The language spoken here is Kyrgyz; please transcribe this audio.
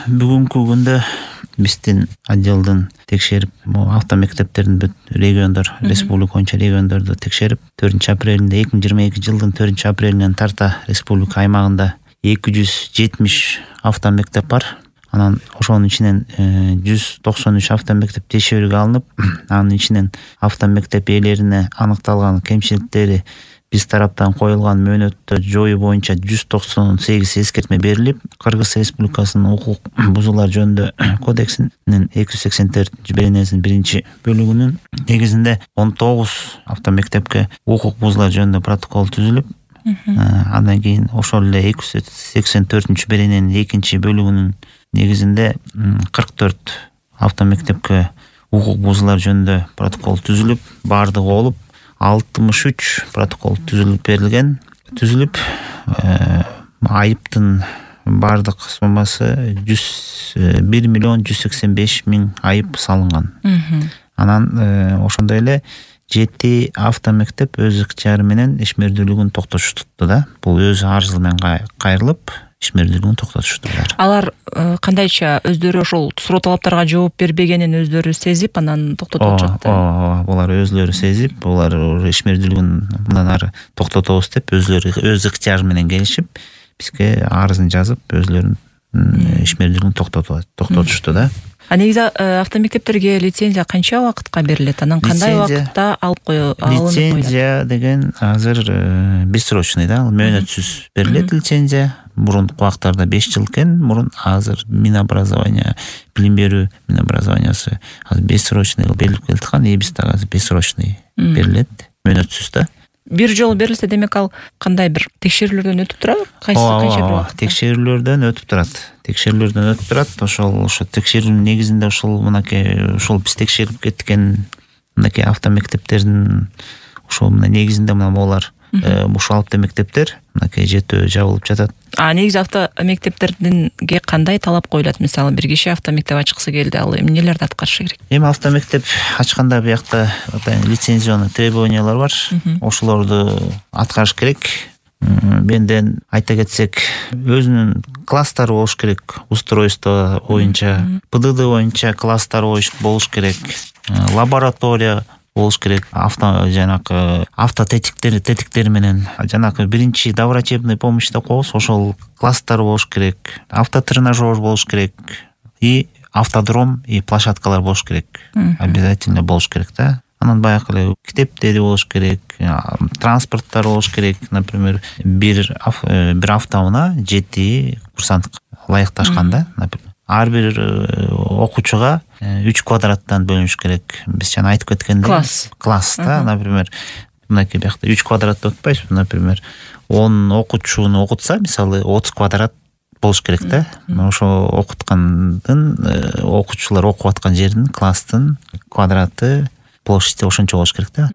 Бүгүнкү күндө биздин отделдин текшерип, автомектептердин бүт региондор, республика боюнча региондорду текшерип, 4-апрелинде 2022 жылдын 4-апрелинен тарта республика аймагында 270 автомектеп бар. Анан ошонун ичинен 193 автомектеп текшерүүгө алынып, анын ичинен автомектеп ээлерине аныкталган кемчиликтери биз тараптан коюлган мөөнөттү жоюу боюнча 198 эскертме берилип, Кыргыз Республикасынын укук бузуулар жөнүндө кодексинин 284-беренесинин 1-бөлүгүнүн негизинде 19 автомектепке укук бузуулар жөнүндө протокол түзүлүп, андан кийин ошол эле 284-берененин 2-бөлүгүнүн негизинде 44 автомектепке укук бузуулар жөнүндө протокол түзүлүп, бардыгы болуп 63 протокол түзүлүп, айыптын бардык суммасы 1 миллион 185 миң айып салынган. Анан ошондой эле 7 автомектеп өз ыктыяры менен ишмердүүлүгүн токтотушту да. Бул өз арызы менен кайрылып, ишмердүүлүгүн токтотуштур. Алар кандайча өздөрү ошол суроо талаптарга жооп бербегенин өздөрү сезип, анан токтотуп жатты. Булар өзлөрү сезип, булар ишмердүүлүгүн мындан ары токтотобуз деп өздөрү өз ыктыяры менен келишип, бизге арызын жазып, өзлөрүнүн ишмердүүлүгүн токтотушту да. Негизи автомектептерге лицензия канча убакытка берилет? Анан кандай убакытта алып алынып коюлат? Лицензия деген азыр бессрочный да, мөөнөтсүз берилет лицензия. Мурунку убактарда 5 жыл экен, мурун азыр Минобразование, билим берүү Минобразованиясы азыр бессрочный берилип келаткан, биз дагы азыр бессрочный берилет, мөөнөтсүз да. Бир жолу берилсе, демек ал кандай бир текшерүүлөрдөн өтүп турат? Канча бир убакытта? Текшерүүлөрдөн өтүп турат. Ошо текшерүүнүн негизинде ошол биз текшерип кеткен мынакей автомектептердин ошол негизинде булар ушул автомектептер мынакей жетөө жабылып жатат. Негизи автомектептердинге кандай талап коюлат? Мисалы, бир киши автомектеп ачкысы келди, ал эмнелерди аткарышы керек? Эми автомектеп ачканда биякта лицензионный требованиялар бар. Ошолорду аткарыш керек. Бенден айта кетсек, өзүнүн класстары болуш керек, устройство боюнча, ПДД боюнча класстары болуш керек, лаборатория болуш керек, автотетиктери менен жанагы биринчи доврачебный помощь деп коебуз, ошол класстары болуш керек, автотренажер болуш керек и автодром и площадкалар болуш керек. Обязательно болуш керек да. Анан баягы эле китептери болуш керек, транспорттар болуш керек. Например, бир автоунаа 7 курсант ылайыкташкан да, например. Ар бир окуучуга 3 квадраттан бөлүнүш керек. Биз жана айтып кеткендей, класс да, например, мынакей биякта 3 квадратты өтпөйсүз, например, 10 окуучуну окутса, мисалы 30 квадрат болуш керек да. Ошо окуткандын окуучулар окуп аткан жердин класстын квадраты площади ошончо болуш керек да.